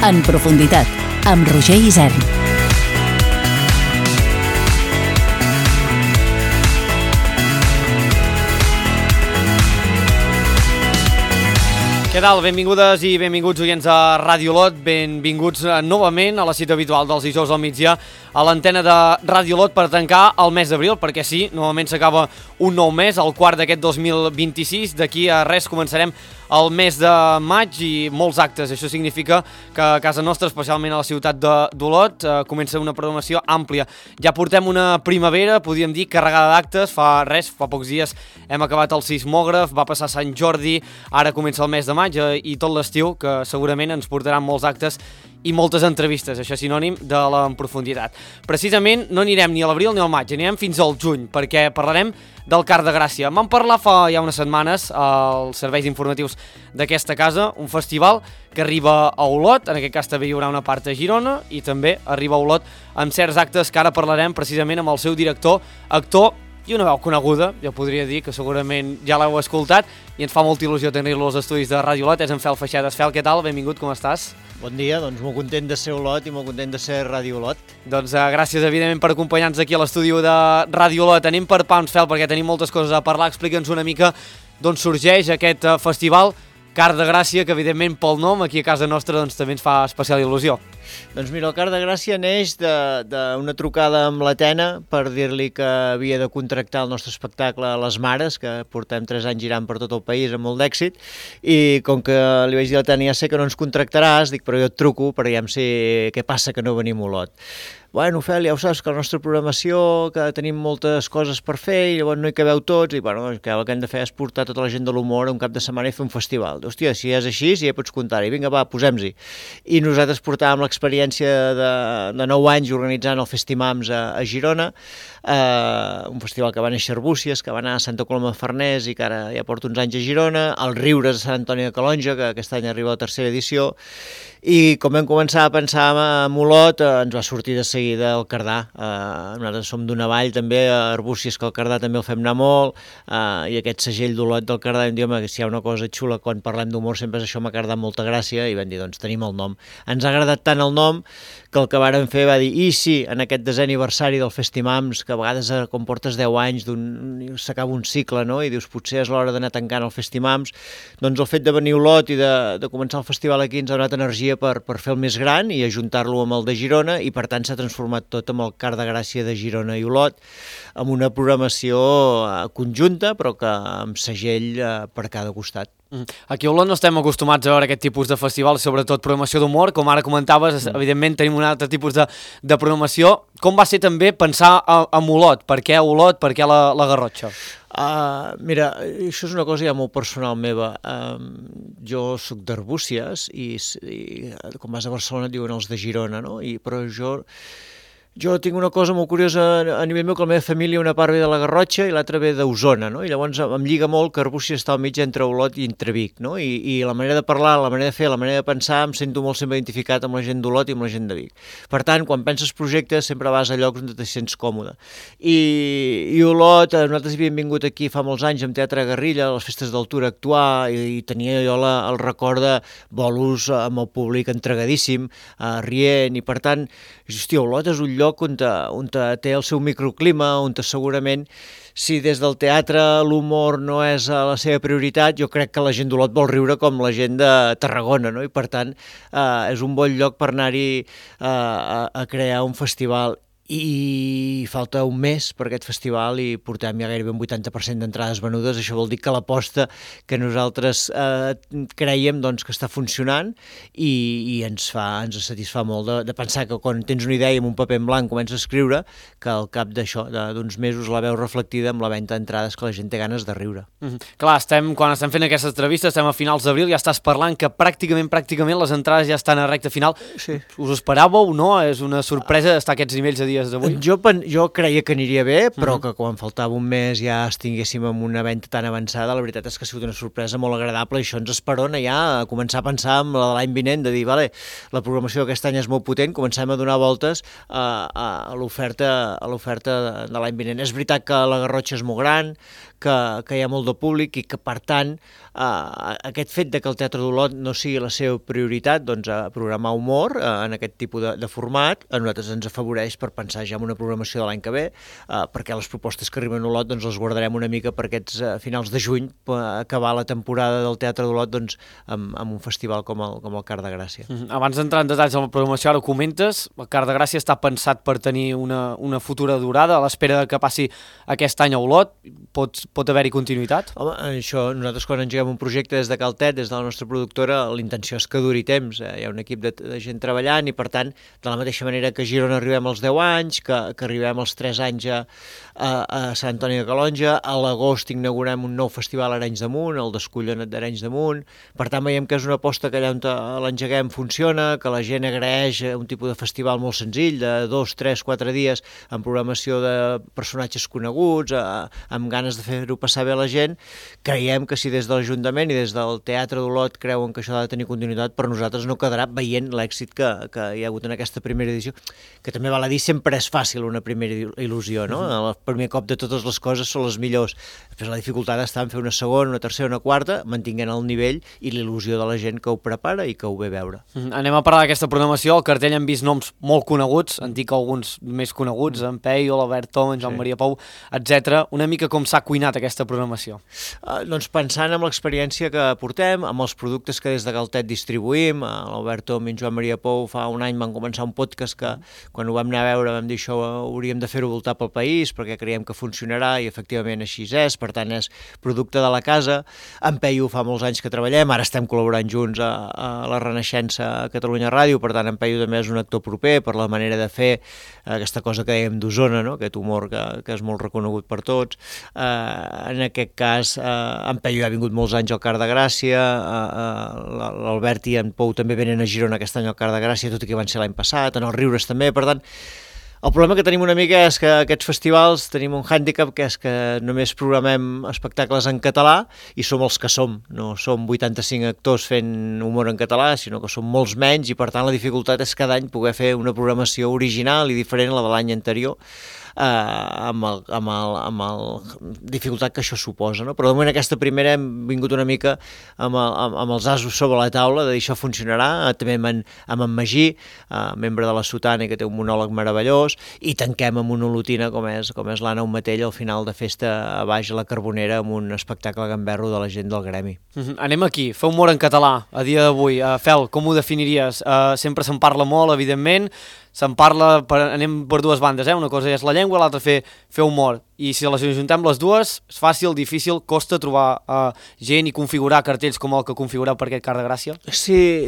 En profunditat, amb Roger Isern. Què tal? Benvingudes i benvinguts oients de Ràdio Olot, benvinguts novament a la cita habitual dels dijous al migdia a l'antena de Ràdio Olot per tancar el mes d'abril, perquè sí, novament s'acaba un nou mes, el quart d'aquest 2026, d'aquí a res començarem el mes de maig i molts actes. Això significa que a casa nostra, especialment a la ciutat d'Olot, comença una programació àmplia. Ja portem una primavera, podríem dir, carregada d'actes. Fa pocs dies hem acabat el sismògraf, va passar Sant Jordi, ara comença el mes de maig i tot l'estiu, que segurament ens portaran molts actes i moltes entrevistes, això és sinònim de la en profunditat. Precisament no anirem ni a l'abril ni al maig, anirem fins al juny, perquè parlarem del Car de Gràcia. Vam parlar fa ja unes setmanes als serveis informatius d'aquesta casa, un festival que arriba a Olot, en aquest cas també hi haurà una part a Girona, i també arriba a Olot amb certs actes que ara parlarem precisament amb el seu director, actor i una veu coneguda, jo podria dir que segurament ja l'heu escoltat, i ens fa molta il·lusió tenir-lo als estudis de Ràdio Olot, és en Fel Feixedes. Fel, què tal? Benvingut, com estàs? Bon dia, doncs molt content de ser Olot i molt content de ser Ràdio Olot. Doncs gràcies, evidentment, per acompanyar-nos aquí a l'estudi de Ràdio Olot. Anem per pams, Fel, perquè tenim moltes coses a parlar. Explica'ns una mica d'on sorgeix aquest festival Car de Gràcia, que evidentment pel nom aquí a casa nostra doncs, també ens fa especial il·lusió. Doncs mira, el Car de Gràcia neix d'una trucada amb l'Atena per dir-li que havia de contractar el nostre espectacle a les Mares, que portem 3 anys girant per tot el país amb molt d'èxit, i com que li vaig dir a l'Atena, ja sé que no ens contractaràs, dic, però jo et truco per aviam si què passa que no venim a Olot. Bueno, Fel, ja ho saps, que la nostra programació, que tenim moltes coses per fer i llavors no hi cabeu tots, i bueno, que el que hem de fer és portar tota la gent de l'humor un cap de setmana i fer un festival. Hòstia, si és així, ja pots comptar-hi, vinga, va, posem-hi. I nosaltres portàvem l'experiència de 9 anys organitzant el Festimams a Girona, un festival que va néixer a Arbúcies, que va anar a Santa Coloma de Farners i que ara ja porta uns anys a Girona, el Riures de Sant Antoni de Calonja, que aquest any arriba a la 3a edició, i com vam començar a pensar en Olot, ens va sortir de seguida el Cardà. Nosaltres som d'una vall també, a Arbúcies, que el Cardà també el fem anar molt, i aquest segell d'Olot del Cardà, vam dir, home, que si hi ha una cosa xula quan parlem d'humor sempre és això, m'ha agradat molta gràcia, i vam dir, doncs tenim el nom. Ens ha agradat tant el nom que el que vàrem fer va dir, i si en aquest 10è aniversari del Festimams, que a vegades quan portes 10 anys s'acaba un cicle, no? I dius, potser és l'hora d'anar tancant el Festimams, doncs el fet de venir a Olot i de començar el festival aquí ens ha donat energia per fer el més gran i ajuntar-lo amb el de Girona, i per tant s'ha transformat tot amb el Car de Gràcia de Girona i Olot, amb una programació conjunta però que amb segell per cada costat. Aquí a Olot no estem acostumats a veure aquest tipus de festival, sobretot programació d'humor, com ara comentaves, evidentment tenim un altre tipus de programació. Com va ser també pensar en Olot? Per què Olot? Per què la Garrotxa? Mira, això és una cosa ja molt personal meva. Jo soc d'Arbúcies i quan vas a Barcelona et diuen els de Girona, no? Però jo tinc una cosa molt curiosa a nivell meu, que la meva família una part ve de la Garrotxa i l'altra ve d'Osona, no? I llavors em lliga molt que Arbúcies està al mig entre Olot i entre Vic, no? I la manera de parlar, la manera de fer, la manera de pensar, em sento molt sempre identificat amb la gent d'Olot i amb la gent de Vic. Per tant, quan penses projectes, sempre vas a llocs on te sents còmode. I Olot, nosaltres havíem vingut aquí fa molts anys amb Teatre Guerrilla, a les festes d'altura a actuar, i tenia jo el record de bolos amb el públic entregadíssim, rient, i per tant, hòstia, Olot és un lloc on té el seu microclima, on segurament, si des del teatre l'humor no és la seva prioritat, jo crec que la gent d'Olot vol riure com la gent de Tarragona, no? I per tant és un bon lloc per anar-hi a crear un festival. I falta un mes per aquest festival i portem ja gairebé un 80% d'entrades venudes. Això vol dir que l'aposta que nosaltres creiem doncs, que està funcionant i ens satisfà molt de pensar que quan tens una idea i amb un paper en blanc comences a escriure, que al cap d'uns mesos la veus reflectida amb la venda d'entrades, que la gent té ganes de riure. Clar, quan estem fent aquestes entrevistes, estem a finals d'abril, ja estàs parlant que pràcticament les entrades ja estan a recta final. Sí. Us esperàveu, no? És una sorpresa estar aquests nivells a dies d'avui? Jo creia que aniria bé, però que quan faltava un mes ja estiguéssim amb una venda tan avançada, la veritat és que ha sigut una sorpresa molt agradable i això ens esperona ja a començar a pensar en l'any vinent, de dir, vale, la programació d'aquest any és molt potent, comencem a donar voltes a l'oferta de l'any vinent. És veritat que la Garrotxa és molt gran, que hi ha molt de públic i que, per tant, aquest fet de que el Teatre d'Olot no sigui la seva prioritat, doncs, a programar humor en aquest tipus de format, a nosaltres ens afavoreix per pensar ja en una programació de l'any que ve, perquè les propostes que arriben a Olot doncs, les guardarem una mica per aquests finals de juny, per acabar la temporada del Teatre d'Olot doncs, amb un festival com el Car de Gràcia. Abans d'entrar en detalls de la programació, ara ho comentes, el Car de Gràcia està pensat per tenir una futura durada a l'espera que passi aquest any a Olot. Pot haver-hi continuïtat? Home, això, nosaltres quan engeguem un projecte des de Caltet, des de la nostra productora, la intenció és que duri temps. Hi ha un equip de gent treballant i, per tant, de la mateixa manera que a Girona arribem als 10 anys, que arribem als 3 anys a Sant Antoni de Calonja, a l'agost inaugurem un nou festival a Arenys de Munt, el Descollona't d'Arenys de Munt. Per tant, veiem que és una aposta que allà on l'engeguem funciona, que la gent agraeix un tipus de festival molt senzill, de 2, 3, 4 dies, amb programació de personatges coneguts, amb ganes de fer-ho passar bé a la gent. Creiem que si des de l'Ajuntament i des del Teatre d'Olot creuen que això ha de tenir continuïtat, per nosaltres no quedarà veient l'èxit que hi ha hagut en aquesta primera edició, que també val a dir, sempre és fàcil una primera il·lusió, no? El primer cop de totes les coses són les millors. Després la dificultat està en fer una segona, una tercera, una quarta, mantinguent el nivell i l'il·lusió de la gent que ho prepara i que ho ve a veure. Anem a parlar d'aquesta programació. Al cartell hem vist noms molt coneguts, en dic alguns més coneguts, en Peyu, l'Albert Tom, en Joan Maria Pou, etc. Una mica com s'ha cuinat aquesta programació? Doncs pensant en l'experiència que portem, amb els productes que des de Caltet distribuïm, l'Albert Tom i en Joan Maria Pou fa un any van començar un podcast que quan ho vam anar a veure vam dir això hauríem de fer-ho voltar pel país perquè creiem que funcionarà i efectivament així és, per tant és producte de la casa. En Peyu fa molts anys que treballem, ara estem col·laborant junts a la Renaixença a Catalunya Ràdio, per tant en Peyu també és un actor proper per la manera de fer aquesta cosa que dèiem d'Osona, no? Aquest humor que és molt reconegut per tots. En aquest cas, en Peyu ha vingut molts anys al Car de Gràcia, l'Albert i en Pou també venen a Girona aquest any al Car de Gràcia, tot i que van ser l'any passat, en els Riures també, per tant, el problema que tenim una mica és que aquests festivals tenim un hàndicap, que és que només programem espectacles en català i som els que som. No som 85 actors fent humor en català, sinó que som molts menys i per tant la dificultat és cada any poder fer una programació original i diferent a la de l'any anterior, amb la dificultat que això suposa, no? Però de moment aquesta primera hem vingut una mica amb els asos sobre la taula de dir això funcionarà, també amb en Magí, membre de la Sotana i que té un monòleg meravellós, i tanquem amb una olotina com és l'Anna Matell al final de festa a baix a la Carbonera amb un espectacle gamberro de la gent del gremi. Anem aquí, fer humor en català a dia d'avui. Fel, com ho definiries? Sempre se'n parla molt, evidentment, se'n parla, anem per dues bandes, una cosa és la llengua, l'altra fer humor, i si les ajuntem les dues, és fàcil, difícil, costa trobar gent i configurar cartells com el que configureu per aquest Car de Gràcia? Sí,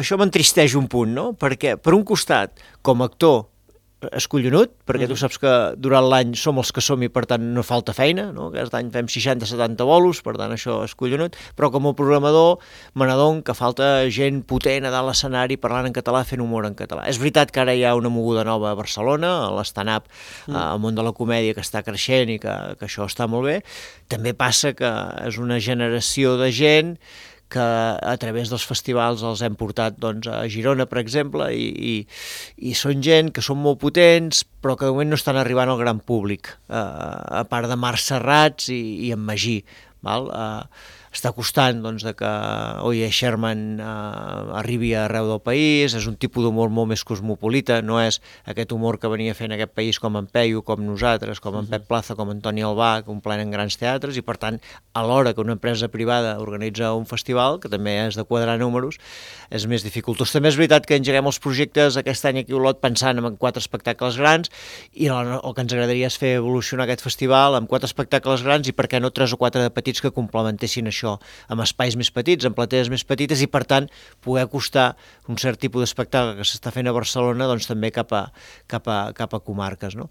això m'entristeix un punt, no? Perquè, per un costat, com a actor, és collonut, perquè tu saps que durant l'any som els que som i per tant no falta feina, no? Aquest any fem 60-70 bolos, per tant això és collonut, però com a programador me n'adon que falta gent potent a dalt l'escenari parlant en català, fent humor en català. És veritat que ara hi ha una moguda nova a Barcelona, l'stand-up, al món de la comèdia que està creixent i que això està molt bé. També passa que és una generació de gent que a través dels festivals els hem portat a Girona, per exemple, i són gent que són molt potents, però que de moment no estan arribant al gran públic, a part de Marc Serrats i en Magí. Està costant que Oye Sherman arribi arreu del país, és un tipus d'humor molt més cosmopolita, no és aquest humor que venia fent aquest país com en Peyu, com nosaltres, com en Pep Plaza, com en Toni Albà, que omplenen grans teatres, i per tant, alhora que una empresa privada organitza un festival, que també és de quadrar números, és més dificultós. També és veritat que engeguem els projectes aquest any aquí a Olot pensant en 4 espectacles grans, i el que ens agradaria és fer evolucionar aquest festival amb 4 espectacles grans i per què no 3 o 4 de petits que complementessin això, amb espais més petits, amb platees més petites, i per tant poder acostar un cert tipus d'espectacle que s'està fent a Barcelona també cap a comarques, no?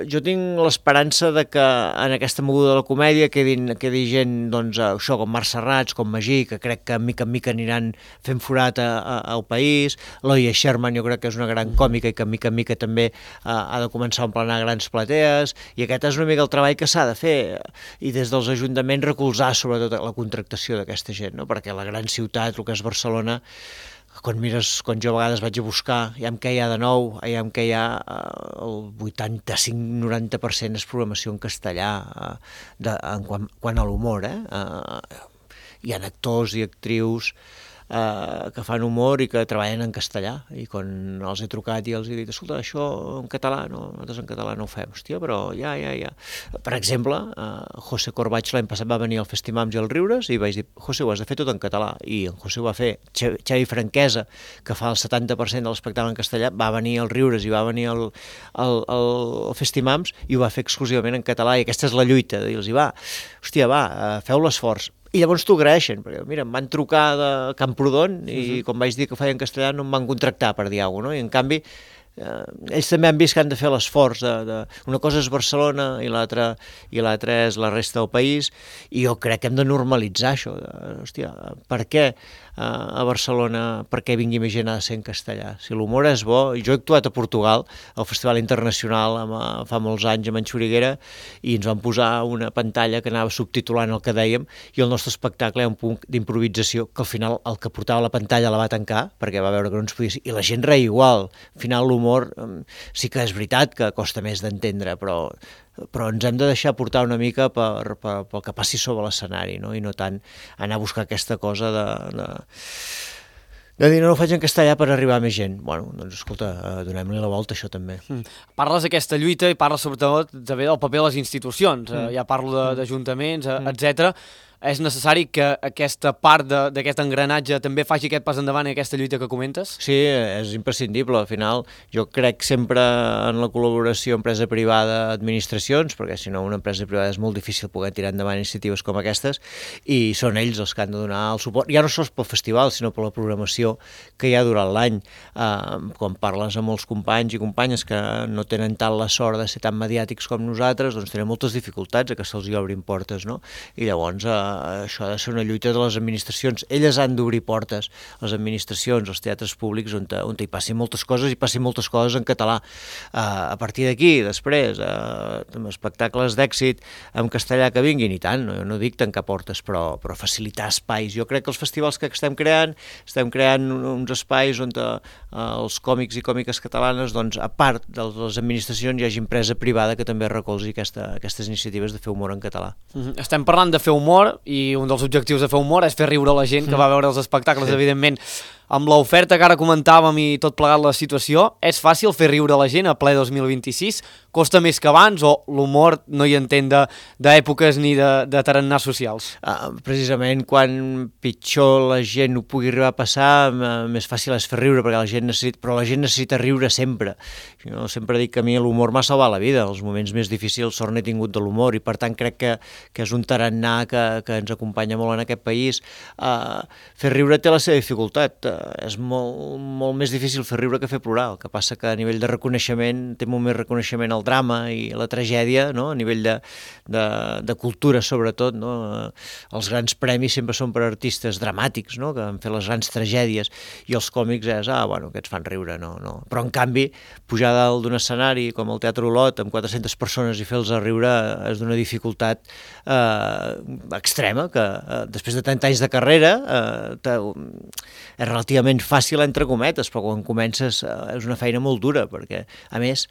Jo tinc l'esperança de que en aquesta moguda de la comèdia quedi gent, això, com Marc Serrats, com Magí, que crec que mica en mica aniran fent forat al país. L'Oye Sherman jo crec que és una gran còmica i que mica en mica també ha de començar a emplenar grans platees, i aquest és una mica el treball que s'ha de fer, i des dels ajuntaments recolzar sobretot la contractació d'aquesta gent, no? Perquè la gran ciutat, el que és Barcelona, quan jo a vegades vaig a buscar, què hi ha de nou, què hi ha, el 85-90% és programació en castellà, quant a l'humor, hi ha actors i actrius que fan humor i que treballen en castellà, i quan els he trucat i els he dit, escolta, això en català, no, nosaltres en català no ho fem, hòstia, però ja. Per exemple, José Corbaig l'any passat va venir al Festimams i al Riures i vaig dir, José, ho has de fer tot en català, i en José ho va fer. Xavi Franquesa, que fa el 70% de l'espectacle en castellà, va venir al Riures i va venir al Festimams i ho va fer exclusivament en català, i aquesta és la lluita, de dir-los, hòstia, feu l'esforç. I llavors t'ho agraeixen, perquè mira, em van trucar de Camprodon i quan vaig dir que ho feia en castellà no em van contractar per dir alguna cosa, no? I en canvi ells també han vist que han de fer l'esforç una cosa és Barcelona i l'altra és la resta del país, i jo crec que hem de normalitzar això. Hòstia, per què a Barcelona, per què vingui més gent ha de ser en castellà? Si l'humor és bo, jo he actuat a Portugal, al Festival Internacional fa molts anys amb en Xuriguera, i ens van posar una pantalla que anava subtitulant el que dèiem, i el nostre espectacle hi ha un punt d'improvisació que al final el que portava la pantalla la va tancar perquè va veure que no ens podia ser, i la gent reia igual. Al final l'humor sí que és veritat que costa més d'entendre, però ens hem de deixar portar una mica pel que passi sobre l'escenari, no? I no tant anar a buscar aquesta cosa de dir no ho faig en castellà per arribar a més gent. Bueno, doncs escolta, donem-li la volta a això també. Parles d'aquesta lluita i parles sobretot també del paper de les institucions, ja parlo d'ajuntaments, etcètera. És necessari que aquesta part d'aquest engranatge també faci aquest pas endavant i aquesta lluita que comentes? Sí, és imprescindible. Al final, jo crec sempre en la col·laboració empresa privada-administracions, perquè si no una empresa privada és molt difícil poder tirar endavant iniciatives com aquestes, i són ells els que han de donar el suport, ja no sols pel festival, sinó per la programació que hi ha durant l'any. Quan parles amb molts companys i companyes que no tenen tant la sort de ser tan mediàtics com nosaltres, doncs tenen moltes dificultats a que se'ls obrin portes, no? I llavors això ha de ser una lluita de les administracions. Elles han d'obrir portes, les administracions, els teatres públics, on hi passin moltes coses i passin moltes coses en català. A partir d'aquí, després, espectacles d'èxit en castellà que vinguin, i tant, no dic tancar portes, però facilitar espais. Jo crec que els festivals que estem creant uns espais on els còmics i còmiques catalanes, doncs, a part de les administracions, hi hagi empresa privada que també recolzi aquestes iniciatives de fer humor en català. Estem parlant de fer humor, i un dels objectius de fer humor és fer riure la gent que va veure els espectacles, evidentment. Amb l'oferta que ara comentàvem i tot plegat la situació, és fàcil fer riure la gent a ple 2026? Costa més que abans o l'humor no hi entén d'èpoques ni de tarannars socials? Precisament quan pitjor la gent ho pugui arribar a passar, més fàcil és fer riure, perquè la gent necessita riure sempre. Jo sempre dic que a mi l'humor m'ha salvat la vida. Els moments més difícils sort n'he tingut de l'humor, i per tant crec que és un tarannà que ens acompanya molt en aquest país. Fer riure té la seva dificultat. És molt més difícil fer riure que fer plorar. El que passa que a nivell de reconeixement té molt més reconeixement el drama i la tragèdia, no? A nivell de cultura, sobretot, no? Els grans premis sempre són per artistes dramàtics, no? Que han fet les grans tragèdies, i els còmics és, aquests fan riure, no. Però en canvi, pujar dalt d'un escenari com el Teatre Olot amb 400 persones i fer-los riure és d'una dificultat extrema, que després de 30 anys de carrera és relativament fàcil, entre cometes, però quan comences és una feina molt dura, perquè, a més,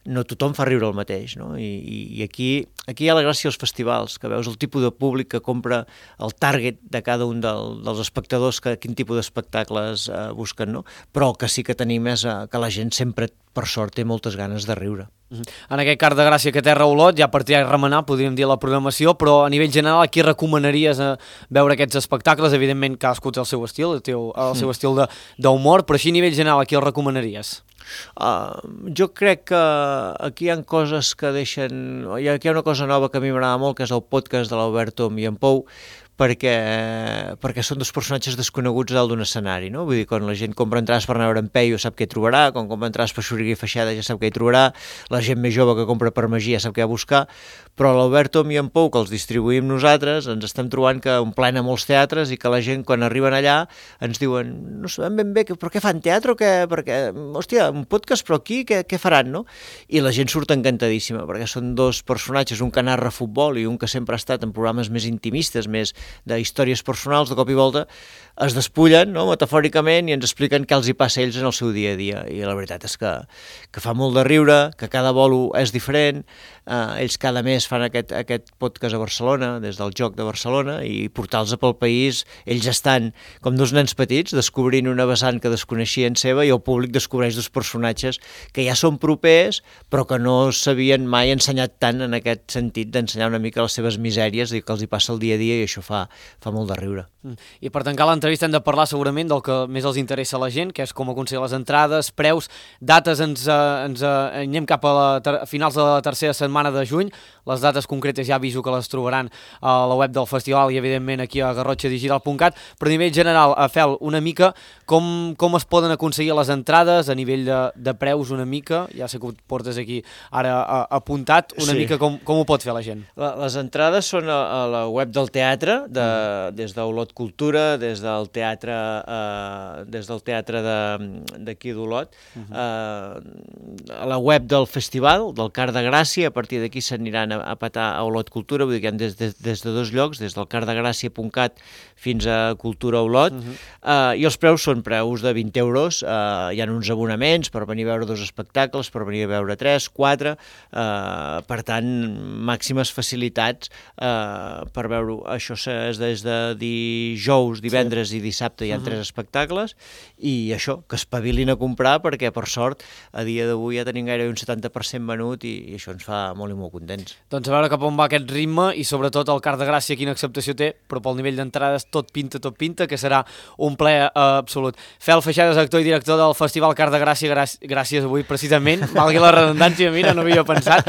no tothom fa riure el mateix, no? I aquí hi ha la gràcia dels festivals, que veus el tipus de públic que compra, el target de cada un dels espectadors, quin tipus d'espectacles busquen, no? Però el que sí que tenim és que la gent sempre, per sort, té moltes ganes de riure. En aquest Car de Gràcia que té Olot, ja per tirar i remenar, podríem dir la programació, però a nivell general, a qui recomanaries veure aquests espectacles? Evidentment, cadascú té el seu estil, el seu estil d'humor, però així a nivell general, a qui el recomanaries? Jo crec que aquí hi ha coses que deixen... Aquí hi ha una cosa nova que a mi m'agrada molt, que és el podcast de l'Albert Tom i en Pou, perquè són dos personatges desconeguts dalt d'un escenari, no? Vull dir, quan la gent compra entrades per anar a veure en Peyu sap què hi trobarà, quan compra entrades per Xuriguera i Feixada ja sap què hi trobarà, la gent més jove que compra per Magia sap què ha de buscar, però l'Albert Tom i en Pou, que els distribuïm nosaltres, ens estem trobant que omplen a molts teatres i que la gent, quan arriben allà, ens diuen, no sabem ben bé, però què fan, teatre o què? Perquè, hòstia, un podcast, però aquí què faran, no? I la gent surt encantadíssima, perquè són dos personatges, un que narra futbol i un que sempre ha estat en programes més intimistes, més d'històries personals, de cop i volta, es despullen, no?, metafòricament, i ens expliquen què els hi passa a ells en el seu dia a dia. I la veritat és que fa molt de riure, que cada bolo és diferent. Ells cada mes fan aquest podcast a Barcelona, des del Joc de Barcelona, i portar-los pel país. Ells estan com dos nens petits, descobrint una vessant que desconeixien seva, i el públic descobreix dos personatges que ja són propers, però que no s'havien mai ensenyat tant en aquest sentit, d'ensenyar una mica les seves misèries i que els hi passa el dia a dia, i això fa molt de riure. I per tancar l'entrevista hem de parlar segurament del que més els interessa a la gent, que és com aconseguir les entrades, preus, dates. Ens anem cap a finals de la tercera setmana de juny. Les dates concretes ja aviso que les trobaran a la web del festival i evidentment aquí a garrotxadigital.cat, però a nivell general, Fel, una mica com es poden aconseguir les entrades a nivell de preus una mica, ja sé que ho portes aquí ara apuntat, una mica com ho pot fer la gent? Les entrades són a la web del teatre, des d'Olot Cultura, des del teatre d'aquí d'Olot, a la web del festival, del Car de Gràcia. A partir d'aquí s'aniran a petar a Olot Cultura, vull dir que hi ha des de dos llocs, des del cardegràcia.cat fins a Cultura Olot, i els preus són preus de 20 euros, hi ha uns abonaments per venir a veure 2 espectacles, per venir a veure 3, 4, per tant, màximes facilitats per veure-ho. Això és des de dijous, divendres i dissabte hi ha 3 espectacles, i això, que espavilin a comprar, perquè per sort a dia d'avui ja tenim gairebé un 70% venut, i això ens fa molt i molt contents. Doncs a veure cap on va aquest ritme, i sobretot el Car de Gràcia quina acceptació té, però pel nivell d'entrades tot pinta, que serà un plaer absolut. Fel Feixades, actor i director del Festival Car de Gràcia, gràcies avui precisament, valgui la redundància, mira, no havia pensat,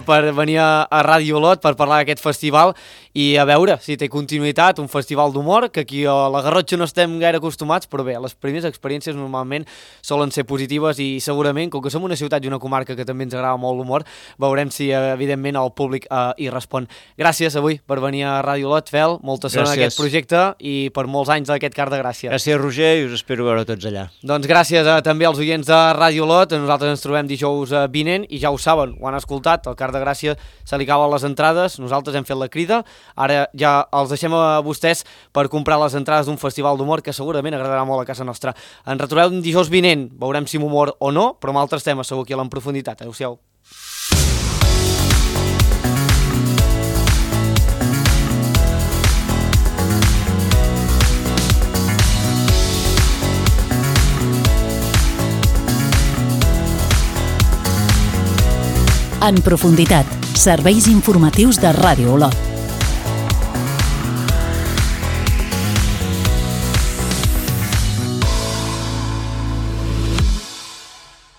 per venir a Ràdio Olot per parlar d'aquest festival, i a veure si té continuïtat, un festival d'humor, que aquí a la Garrotxa no estem gaire acostumats, però bé, les primeres experiències normalment solen ser positives, i segurament, com que som una ciutat i una comarca que també ens agrada molt l'humor, veurem si evidentment el públic hi respon. Gràcies avui per venir a Ràdio Olot, Fel, molta sort en aquest projecte i per molts anys d'aquest Car de Gràcia. Gràcies, Roger, i us espero veure tots allà. Doncs gràcies també als oients de Ràdio Olot. Nosaltres ens trobem dijous vinent, i ja ho saben, ho han escoltat, el Car de Gràcia se li acaben les entrades, nosaltres hem fet la crida, ara ja els deixem a vostès per comprar les entrades d'un festival d'humor que segurament agradarà molt a casa nostra. Ens retrobem dijous vinent, veurem si amb humor o no, però amb altres temes segur aquí a l'en profunditat. Adéu-siau. En profunditat, serveis informatius de Ràdio Olot.